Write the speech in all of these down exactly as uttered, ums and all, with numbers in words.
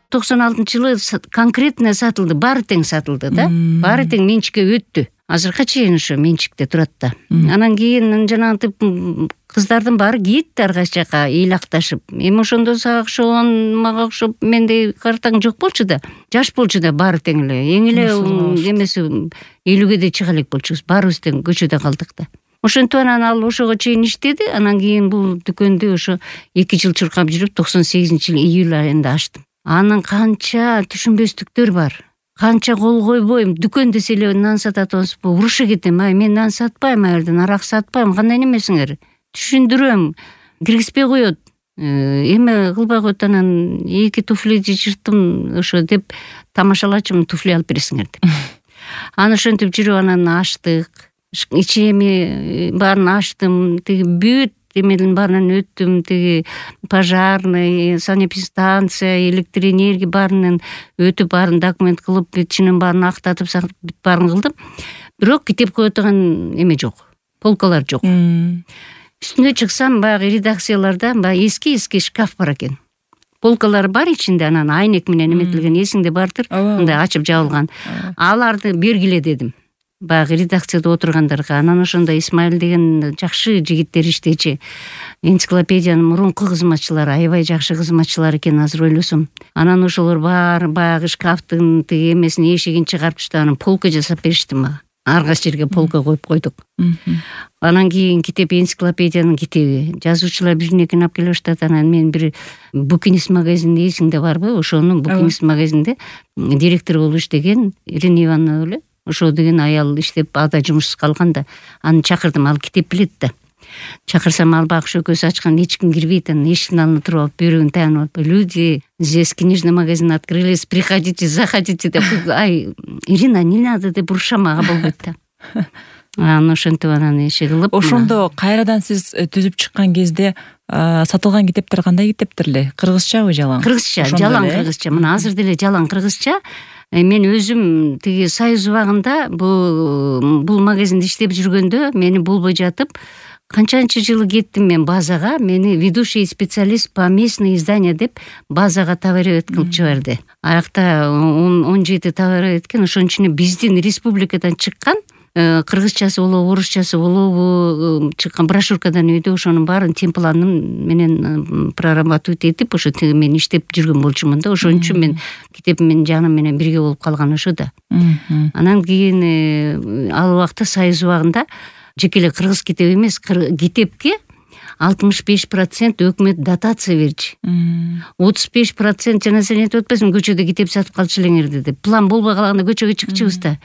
токсон алтынчы жылы конкретно сатылды, баары тең сатылды да, баары тең менчикке өттү. Азыркыга чейин ошо менчикте турат да. Анан кийин жанагынтип кыздардын баары кетти ар кайсы жака ыйлакташып. Эми ошондо сага окшогон, мага окшоп менде картаң жок болчу да, жаш болчу да баары тең эле. Эң эле эмеси элүүгө да чыга элек болчубуз. Баарыбыз тең көчөдө калдык да. Ошентип анан ал ошого чейин иштеди. Анан кийин бул дүкөндү ошо эки жыл чуркап жүрүп токсон сегизинчи жылы июль айында ачтым. Анын канча түшүнбөстүктөр бар. Канча кол койбойм, дүкөн десе эле нан сатат атасызбы, уруша кетем. Ай, мен нан сатпайм, аерден арак сатпайм. Кандай немесиңер? Түшүндүрөм. Киргизбей коет. Эме кылбай коет. Анан эки туфли жырттым ошо деп тамашалачым, туфли алып бересиңер деп. Аны ошентип жүрүп анан ачтык. Ичеми баарын ачтым. Тиги бүт эмелердин баарынан өттүм. Тиги пожарный, санэпидстанция, электроэнергия баарынан өтүп, баарын документ кылып, ичинен баарын актатып, бүт баарын кылдым. Бирок китеп кое турган эме жок. Полкалар жок. Үстүнө чыксам, баягы редакцияларда баягы эски-эски шкаф бар экен. Полкалар бар ичинде, анан айнек менен эметилген, эсиңде бардыр, мындай ачып жабылган. Аларды бергиле дедим. Баягы редакцияда отургандарга. Анан ошондо Исмаил деген жакшы жигиттер иштечи. Энциклопедиянын мурунку кызматчылары, аябай жакшы кызматчылар экен, азыр ойлосом. Анан ошолор баары баягы шкафтын тиги эмесин эшигин чыгарып түштү, анан полка жасап беришти мага. Ар кайсы жерге полка коюп койдук. Анан кийин китеп, энциклопедиянын китеби. Жазуучулар бирин-экин алып келе баштады. Анан мен бир Букинист магазинде, эсиңде барбы? Ошонун Букинист магазинде директор болуп иштеген Ирина Ивановна эле. Ошо деген аял иштеп ада жумушсуз калган да. Аны чакырдым, ал китеп билет да. Чакырсам ал багыш экөөсү ачкан, эч ким кирбейт, анан эшиктин алдына туруп алып бөйрөгүн таянып алып, люди, здесь книжный магазин открылись, приходите, заходите деп. Ай, Ирина, не надо деп уруша мага болбойт да. Анан ошентип анан иши кылып. Ошондо кайрадан сиз түзүп чыккан кезде сатылган китептер кандай китептер эле? Кыргызчабы, жалаң? Кыргызча, жалаң кыргызча. Мына азыр деле жалаң кыргызча. Мен өзүм тиги Союз убагында бул бул магазинде иштеп жүргөндө мени болбой жатып, канчанчы жылы кеттим мен базага, мени ведущий специалист по местное издание деп базага товаровед кылып жиберди. Аякта он жети товаровед экен, ошонун ичине биздин республикадан чыккан, кыргызчасы болобу, орусчасы болобу чыккан брошюркадан үйдө ошонун баарын темпланын менен прорабатывать этип, ошо тиги мен иштеп жүргөн болчумун да. Ошон үчүн мен китеп менен жаным менен бирге болуп калган ошо да. Анан кийин ал убакта Союз убагында жеке эле кыргыз китеби эмес, китепке алтымыш беш процент өкмөт дотация берчү. отуз беш процент жана сен айтып атпайсыңбы, көчөдө китеп сатып калчу элеңер деп. План болбой калганда көчөгө чыкчубуз да.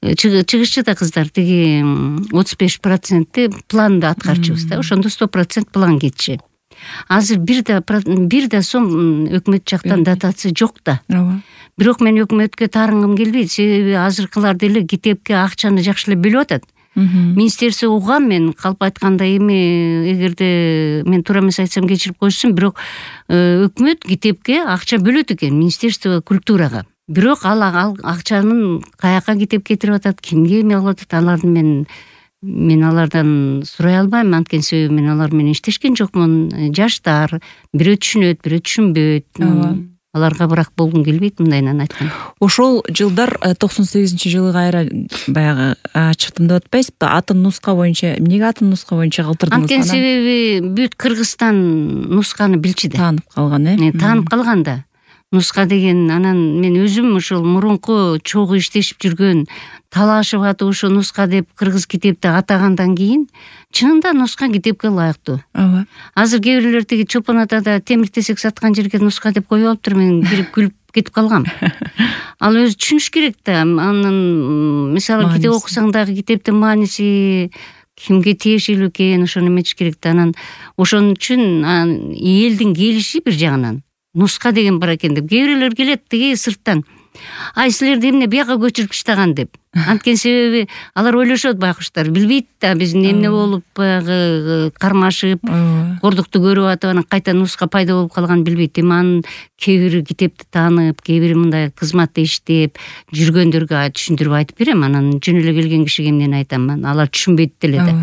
Чыгышчу да кыздар, тиги отуз беш проценти планды аткарчубуз да. Ошондо сто процент план кетчү. Азыр бир да бир да сом өкмөт жактан дотация жок да. Бирок мен өкмөткө таарынгым келбейт, себеби азыркылар деле китепке акчаны жакшы эле бөлүп атат. Министерство угам мен, калп айтканда эми эгерде мен туура эмес айтсам кечирип коюшсун, бирок өкмөт китепке акча бөлөт экен, Министерство культурага. Бирок ал акчанын каяка китеп кетирип атат, кимге эме кылып атат, аларды мен мен алардан сурай албайм, анткени себеби мен алар менен иштешкен жокмун. Жаштар, бирөө түшүнөт, бирөө түшүнбөйт. Аларга бирок болгум келбейт мындайынан айткан. Ошол жылдар токсон сегизинчи жылы кайра баягы ачыктым деп атпайсызбы? Атын нуска боюнча, эмнеге атын нуска боюнча калтырдыңыз? Анткени себеби бүт Кыргызстан нусканы билчи да. Таанып калган, э? Таанып калган да. Нуска деген, анан мен өзүм ошол мурунку чогуу иштешип жүргөн, талашып атып ошо нуска деп кыргыз китепти атагандан кийин чынында нуска китепке ылайыктуу. Ооба. Азыр кээ бирлер тиги Чопон атада темир-тесек саткан жерге нуска деп коюп алыптыр, мен кирип күлүп кетип калгам. Ал өзү түшүнүш керек да. Анын мисалы китеп окусаң дагы китептин мааниси кимге тиешелүү экенин ошону эметиш керек да. Анан ошон үчүн элдин келиши бир жагынан нуска деген бар экен деп. Кээ бирлер келет тиги сырттан. Ай, силерди эмне бияка көчүрүп таштаган деп. Анткени себеби алар ойлошот, байкуштар билбейт да, биздин эмне болуп баягы кармашып, кордукту көрүп атып, анан кайта нуска пайда болуп калганын билбейт. Эми анын кээ бири китепти таанып, кээ бири мындай кызматта иштеп жүргөндөргө түшүндүрүп айтып берем. Анан жөн эле келген кишиге эмнени айтам, алар түшүнбейт деле да.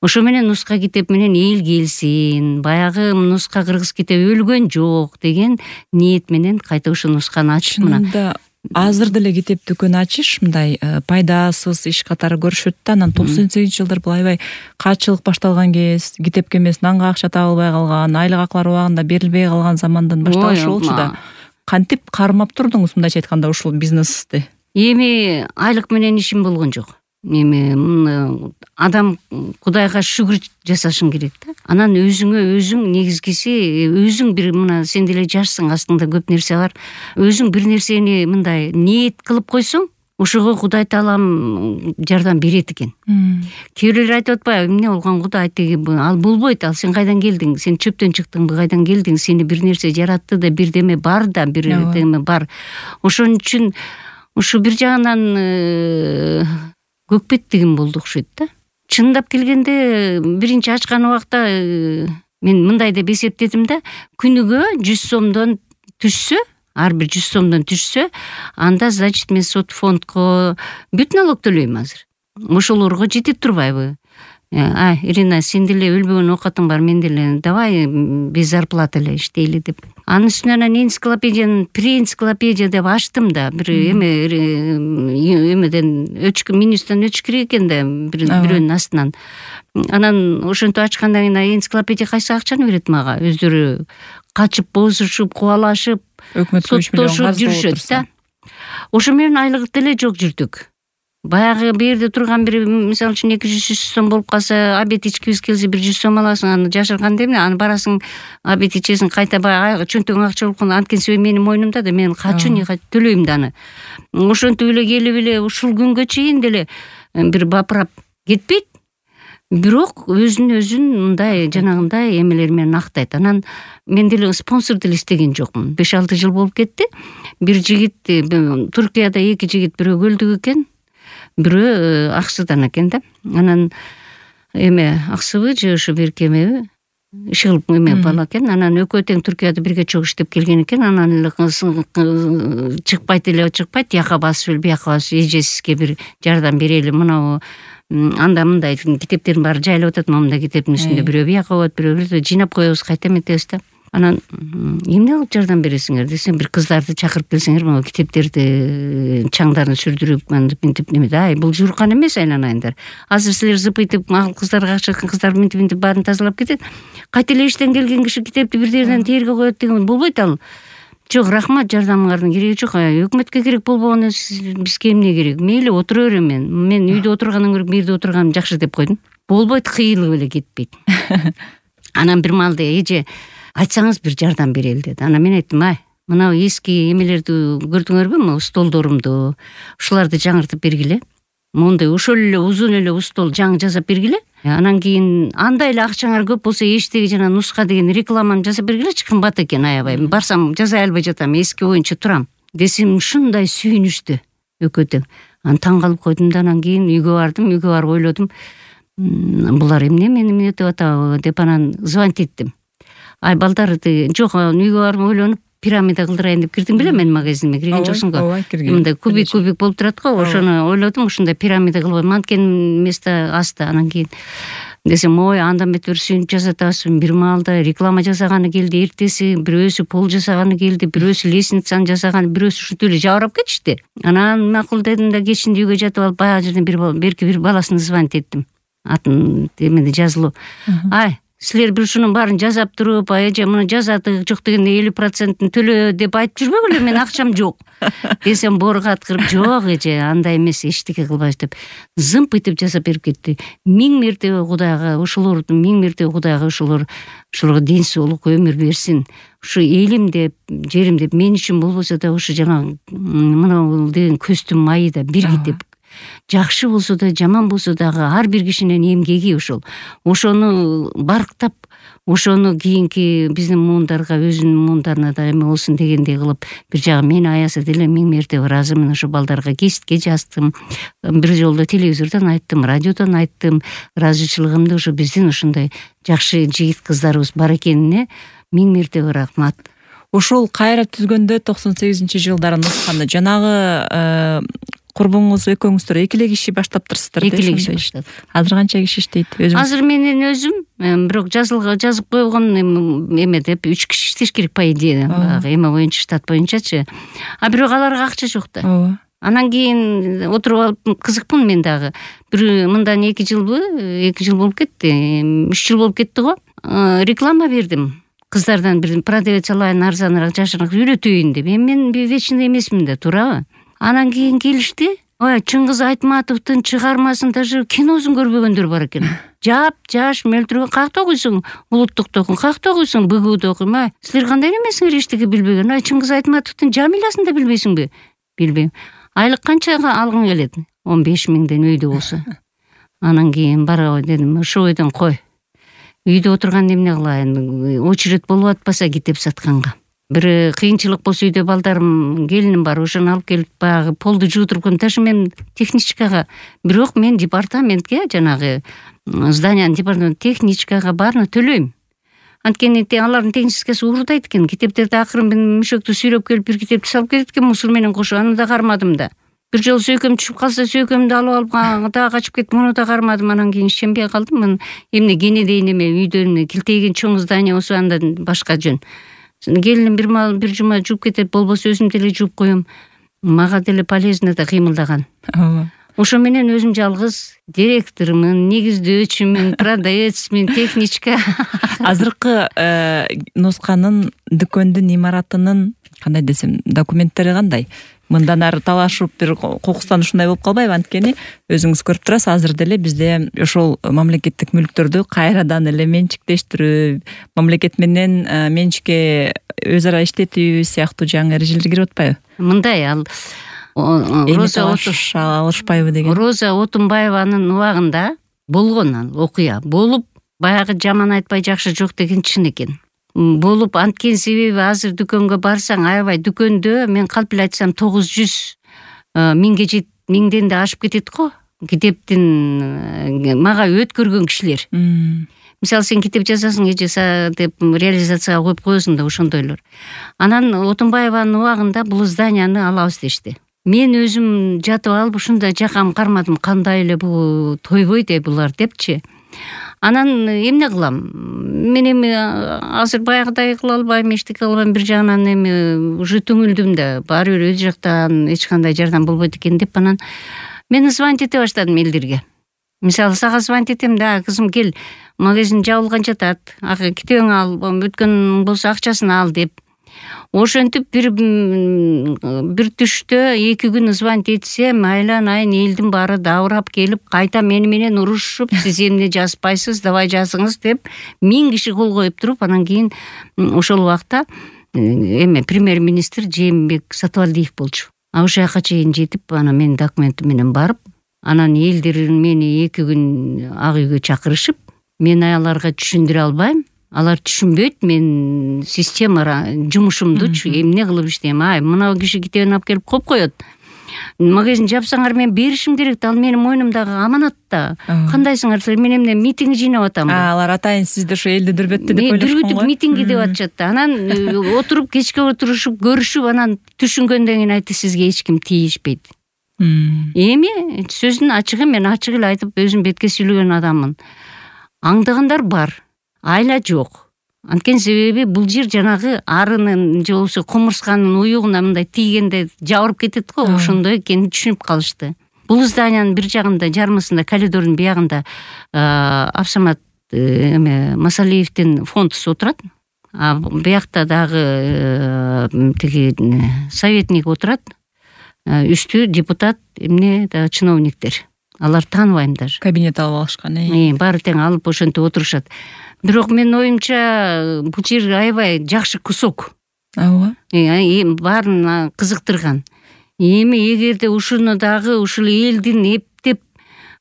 ошо менен нуска китеп менен эл келсин, баягы нуска кыргыз китеби өлгөн жок деген ниет менен кайта ушул нусканы ачып мына. Азыр деле китеп дүкөн ачыш мындай пайдасыз иш катары көрүшөт да. Анан токсон сегизинчи жылдар бул аябай каатчылык башталган кез, китепке эмес нанга акча табылбай калган, айлык аклар убагында берилбей калган замандан башталышы болчу да. Кантип кармап турдуңуз мындайча айтканда ушул бизнести? Эми айлык менен ишим болгон жок. Эми адам Кудайга шүгүр жасашың керек да. Анан өзүңө өзүң негизгиси өзүң бир мына сен деле жашсың, астыңда көп нерсе бар. Өзүң бир нерсени мындай ниет кылып койсоң, ошого Кудай Таалам жардам берет экен. Кээ бирлер айтып атпайбы, эмне болгон Кудай теги ал болбойт, ал сен кайдан келдиң? Сен чөптөн чыктыңбы, кайдан келдиң? Сени бир нерсе жаратты да, бирдеме бар да, бирдеме бар. Ошон үчүн ушу бир жагынан көкпеттигим болду окшойт да. Чындап келгенде биринчи ачкан убакта мен мындай деп эсептедим да, күнүгө жүз сомдон түшсө, ар бир жүз сомдон түшсө, анда значит мен сот фондко бүт налог төлөйм азыр. Ошолорго жетип турбайбы? А, Ирина, сен деле өлбөгөн оокатың бар, мен деле давай без зарплаты эле иштейли деп. Анын үстүнө анан энциклопедияны преэнциклопедия деп ачтым да, бир эме эмеден өчкү минустан өчкүрөк экен да, бирөөнүн астынан. Анан ошентип ачкандан кийин энциклопедия кайсы акчаны берет мага? Өздөрү качып, бозушуп, кубалашып, соттошуп жүрүшөт да. Ошо менен айлык деле жок жүрдүк. Баягы берде турган бир мисалы үчүн эки жүз сом болуп калса, обед ичкибиз келсе бир жүз сом аласың, аны жашырганда эмне? Аны барасың, обед ичесиң, кайта баягы чөнтөгүң акча болгондо анткенсе менин мойнумда да, мен качуу не төлөйм да аны. Ошентип эле келип эле ушул күнгө чейин деле бир бапырап кетпейт. Бирок өзүн өзүн мындай жанагындай эмелер менен актайт. Анан мен деле спонсор деле издеген жокмун. беш алты жыл болуп кетти. Бир жигит Туркияда эки жигит бирөө көлдүк экен. Бирөө Аксыдан экен да. Анан эме Аксыбы же ошо берки эмеби? Ишыл эме бала экен. Анан экөө тең Түркияда бирге чогуу иштеп келген экен. Анан эле чыкпайт эле чыкпайт, тияка басып эле бияка басып эжесизге бир жардам берели. Мына анда мындай китептердин баары жайылып атат, момундай китептин үстүндө бирөө бияка болот, бирөө жыйнап коебуз, кайта эметебиз да. Анан эмне кылып жардам бересиңер десем, бир кыздарды чакырып келсеңер, могу китептерди чаңдарын сүрдүрүп мынтип мынтип неме да. Ай, бул журкан эмес, айланайындар. Азыр силер зыпыйтып, макул кыздарга акча кыздар мынтип мынтип баарын тазалап кетет. Кайта эле иштен келген киши китепти бир жерден терге коет деген болбойт ал. Жок, рахмат, жардамыңардын кереги жок. Өкмөткө керек болбогон бизге эмне керек? Мейли отура берем мен. Мен үйдө отургандан көрө бир жерде отурганым жакшы деп койдум. Болбойт, кыйылып эле кетпейт. Анан бир маалда эже айтсаңыз бир жардам берели деди. Анан мен айттым, ай, мына эски эмелерди көрдүңөрбү, могу столдорумду, ушуларды жаңыртып бергиле. Мондай ошол эле узун эле стол жаңы жасап бергиле. Анан кийин андай эле акчаңар көп болсо эчтеги жана нуска деген рекламаны жасап бергилечи, кымбат экен аябай. Барсам жасай албай жатам, эски боюнча турам десем, ушундай сүйүнүштү экөө тең. Анан таң калып койдум да, анан кийин үйгө бардым, үйгө барып ойлодум, булар эмне мени эмнетип атабы деп анан звонить эттим. Ай, балдар, жок, үйгө барып ойлонуп пирамида кылдырайын деп кирдим беле, мен магазиниме кирген жоксуң го. Мындай кубик кубик болуп турат го, ошону ойлодум, ушундай пирамида кылып анткени место асты. Анан кийин десем, ой, андан бетер сүйүнүп жасатабыз. Бир маалда реклама жасаганы келди, эртеси бирөөсү пол жасаганы келди, бирөөсү лестницаны жасаганы, бирөөсү ушинтип эле жабырап кетишти. Анан макул дедим да, кечинде үйгө жатып алып, баягы жерден бир берки бир баласына звонить эттим. Атын эмеде жазылуу. Ай, силер бир ушунун баарын жасап туруп, эже муну жазаты жок дегенде элүү процентин төлө деп айтып жүрбөгүлө, мен акчам жок десем, борго аткырып, жок эже, андай эмес, эчтеке кылбайбыз деп зымпыйтып жасап берип кетти. Миң мертебе Кудайга, ошолордун миң мертебе Кудайга ошолор ошолорго ден соолук өмүр берсин. Ушу элим деп, жерим деп мен үчүн болбосо да, ушу жана мына деген көстүн майы да бир китеп. Жакшы болсо да, жаман болсо дагы ар бир кишинин эмгеги ошол. Ошону барктап, ошону кийинки биздин муундарга, өзүнүн муундарына да эме болсун дегендей кылып, бир жагы мени аяса деле миң мертебе ыраазымын. Ошо балдарга кеситке жаздым, бир жолдо телевизордон айттым, радиодон айттым, ыраазычылыгымды ошо биздин ушундай жакшы жигит кыздарыбыз бар экенине миң мертебе рахмат. ушул кайра түзгөндө токсон сегизинчи жылдары нусканы жанагы курбуңуз экөөңүздөр эки эле киши баштаптырсыздар да? Эки эле киши баштадык. Азыр канча киши иштейт өзүңүз? Азыр менин өзүм бирок жазылга жазып койгон эме деп үч киши иштеш керек по идее, баягы эме боюнча, штат боюнчачы. А бирок аларга акча жок да. Ооба. Анан кийин отуруп алып кызыкпын мен дагы. Бир мындан эки жылбы, эки жыл болуп кетти, үч жыл болуп кетти го. Реклама бердим. Кыздардан бир продавец алайын, арзаныраак, жашыраак үйрөтөйүн деп. Эми мен вечный эмесмин да, туурабы? Анан кийин келишти. Ой, Чыңгыз Айтматовдун чыгармасын даже киносун көрбөгөндөр бар экен. Жап, жаш, мөлтүргөн какта окуйсуң, Улуттукта окуйсуң, какта окуйсуң, БГУда окуйм. Ай, силер кандай эмесиңер эчтеке билбеген? Ай, Чыңгыз Айтматовдун Жамилясын да билбейсиңби? Билбейм. Айлык канчага алгың келет? он беш миңден үйдө болсо. Анан кийин барабы дедим, ошо бойдон кой. Үйдө отурганда эмне кылайын? Очередь болуп атпаса китеп сатканга. Бир кыйынчылык болсо үйдө балдарым, келиним бар, ошону алып келип баягы полду жууп турган. Даже мен техничкага, бирок мен департаментке, жанагы зданиянын департамент техничкага баарына төлөйм. Анткени алардын техническасы уурдайт экен. Китептерди акырын мен мөшөктү сүйрөп келип бир китепти салып кетет экен мусор менен кошуп. Аны да кармадым да. Бир жолу сөйкөм түшүп калса, сөйкөмдү алып алып дагы качып кетип, муну да кармадым. Анан кийин ишенбей калдым. Мен эмне кенедейин эме үйдөн килтейген чоң здание болсо анда башка жөн. Келиним бир мал бир жума жууп кетет, болбосо өзүм деле жууп коем. Мага деле полезно да кыймылдаган. Ооба. Ошо менен өзүм жалгыз директормун, негиздөөчүмүн, продавецмин, техничка. Азыркы нусканын дүкөндүн имаратынын кандай десем, документтери кандай? Мындан ары талашып бир кокустан ушундай болуп калбайбы? Анткени өзүңүз көрүп турасыз, азыр деле бизде ошол мамлекеттик мүлктөрдү кайрадан эле менчиктештирүү, мамлекет менен менчикке өз ара иштетүү сыяктуу жаңы эрежелер кирип атпайбы? Мындай, ал Роза алышпайбы деген. Роза Отунбаеванын убагында болгон ал окуя. Болуп, баягы жаман айтпай жакшы жок деген чын экен. Болуп, анткен себеби азыр дүкөнгө барсаң, аябай дүкөндө мен калп эле айтсам тогуз жүз миңге жет, миңден да ашып кетет го. Китептин мага өткөргөн кишилер. Мисалы, сен китеп жазасың, эже деп реализацияга коюп коесуң да ошондойлор. Анан Отунбаеванын убагында бул зданияны алабыз дешти. Мен өзүм жатып алып ушундай жакам кармадым, кандай эле бул тойбойт э булар депчи. Анан эмне кылам? Мен эми азыр баягыдай кыла албайм, эчтеке кыла албайм, бир жагынан эми уже түңүлдүм да, баары бир өз жактан эч кандай жардам болбойт экен деп анан мен звонить эте баштадым элдерге. Мисалы, сага звонить этем да, кызым кел, магазин жабылган жатат, китебиңди ал, өткөн болсо акчасын ал деп. Ошентип бир бир түштө эки күн звонить этсем, айлан айын элдин баары дабырап келип, кайта мени менен урушуп, сиз эмне жазбайсыз, давай жазыңыз деп миң киши кол коюп туруп, анан кийин ошол убакта эме премьер-министр Жээнбек Сатыбалдиев болчу. А ошол жака чейин жетип, анан менин документим менен барып, анан элдер мени эки күн ак үйгө чакырышып, мен аяларга түшүндүрө албайм. Алар түшүнбөйт мен система жумушумдучу эмне кылып иштейм. Ай, мына киши китебин алып келип коюп коет. Магазин жапсаңар мен беришим керек да, ал менин мойнумдагы аманат да. Кандайсыңар силер, мен эмне митинг жыйнап атам. Алар атайын сизди ошо элди дүрбөттү деп ойлошкон го. Дүрбүтүп митинги деп атышат да. Анан отуруп кечке отурушуп, көрүшүп, анан түшүнгөндөн кийин айтты, сизге эч ким тийишпейт. Эми сөздүн ачыгы, мен ачык эле айтып өзүм бетке сүйлөгөн адаммын. Аңдагандар бар. Айла жок. Анткени себеби бул жер жанагы арынын же болбосо кумурсканын уюгуна мындай тийгенде жабырып кетет го, ошондой экенин түшүнүп калышты. Бул зданиянын бир жагында, жармысында, коридордун биягында Абсамат эме Масалиевдин фондусу отурат. А биякта дагы тиги советник отурат. Үстү депутат, эмне да чиновниктер. Алар тааныбайм даже. Кабинет алып алышкан, э. Баары тең алып ошентип отурушат. Бирок мен оюмча бул жер аябай жакшы кусок. Ооба. Баарын кызыктырган. Эми эгерде ушуну дагы ушул элдин эптеп,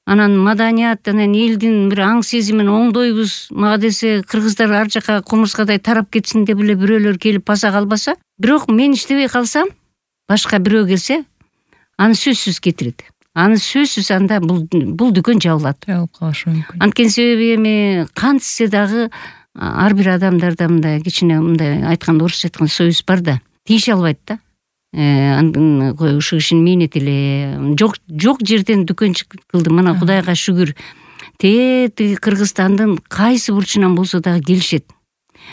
анан маданият, анан элдин бир аң сезимин оңдойбуз, мага десе кыргыздар ар жака кумурскадай тарап кетсин деп эле бирөөлөр келип баса калбаса, бирок мен иштебей калсам, башка бирөө келсе, аны сөзсүз кетирет. Аны сөзсүз анда бул бул дүкөн жабылат. Жабылып калышы мүмкүн. Анткени себеби эми кантсе дагы ар бир адамдарда мындай кичине мындай айтканда орусча айтканда совесть бар да, тийише албайт да. Андын ушу кишинин мээнети эле жок жок жерден дүкөнчү кылдым. Мына Кудайга шүгүр. Тээ Кыргызстандын кайсы бурчунан болсо дагы келишет.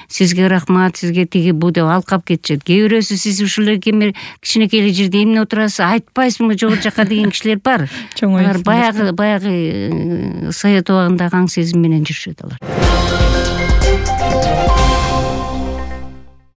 Сизге рахмат, сизге тиги бу деп алкап кетишет. Кээ бирөөсү сиз ушул эле кичинекей эле жерде эмне отурасыз, айтпайсызбы жогору жака деген кишилер бар. Алар баягы баягы Совет убагындагы аң сезим менен жүрүшөт алар.